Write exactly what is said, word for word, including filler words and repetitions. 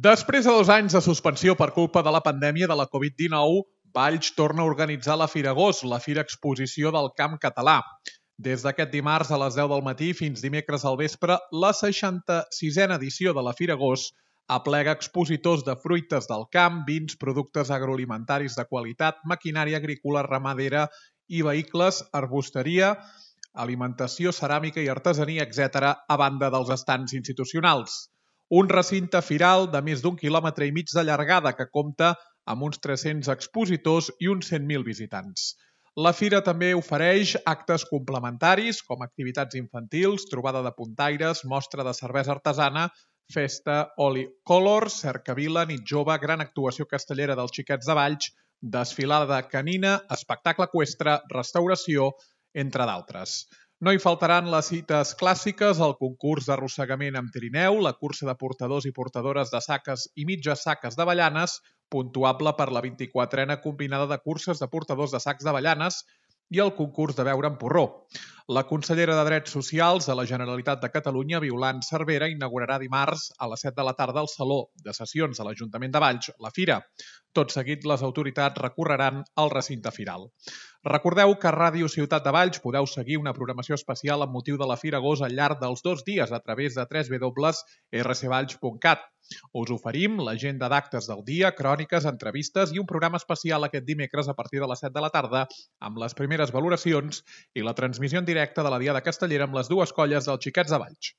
Després de dos anys de suspensió per culpa de la pandèmia de la Covid dinou, Valls torna a organitzar la Fira Gos, la Fira Exposició del Camp Català. Des d'aquest dimarts a les deu del matí fins dimecres al vespre, la seixanta-sisena edició de la Fira Gos aplega expositors de fruites del camp, vins, productes agroalimentaris de qualitat, maquinària agrícola, ramadera i vehicles, arbusteria, alimentació, ceràmica i artesania, etcètera, a banda dels estands institucionals. Un recinte firal de més d'un quilòmetre i mig de llargada que compta amb uns tres-cents expositors i uns cent mil visitants. La fira també ofereix actes complementaris com activitats infantils, trobada de puntaires, mostra de cervesa artesana, festa Oli Colors, cercavila, nit jove, gran actuació castellera dels Xiquets de Valls, desfilada canina, espectacle eqüestre, restauració, entre d'altres. No hi faltaran les cites clàssiques, el concurs d'arrossegament amb trineu, la cursa de portadors i portadores de saques i mitges saques d'avellanes, puntuable per la vint-i-quatrena combinada de curses de portadors de sacs d'avellanes, i el concurs de beure amb porró. La consellera de Drets Socials de la Generalitat de Catalunya, Violant Cervera, inaugurarà dimarts a les set de la tarda al Saló de Sessions de l'Ajuntament de Valls, la Fira. Tot seguit, les autoritats recorreran al recinte firal. Recordeu que a Ràdio Ciutat de Valls podeu seguir una programació especial amb motiu de la Fira Gos al llarg dels dos dies a través de w w w punt r c valls punt cat. Us oferim l'agenda d'actes del dia, cròniques, entrevistes i un programa especial aquest dimecres a partir de les set de la tarda amb les primeres valoracions i la transmissió en directe de la Diada Castellera amb les dues colles dels Xiquets de Valls.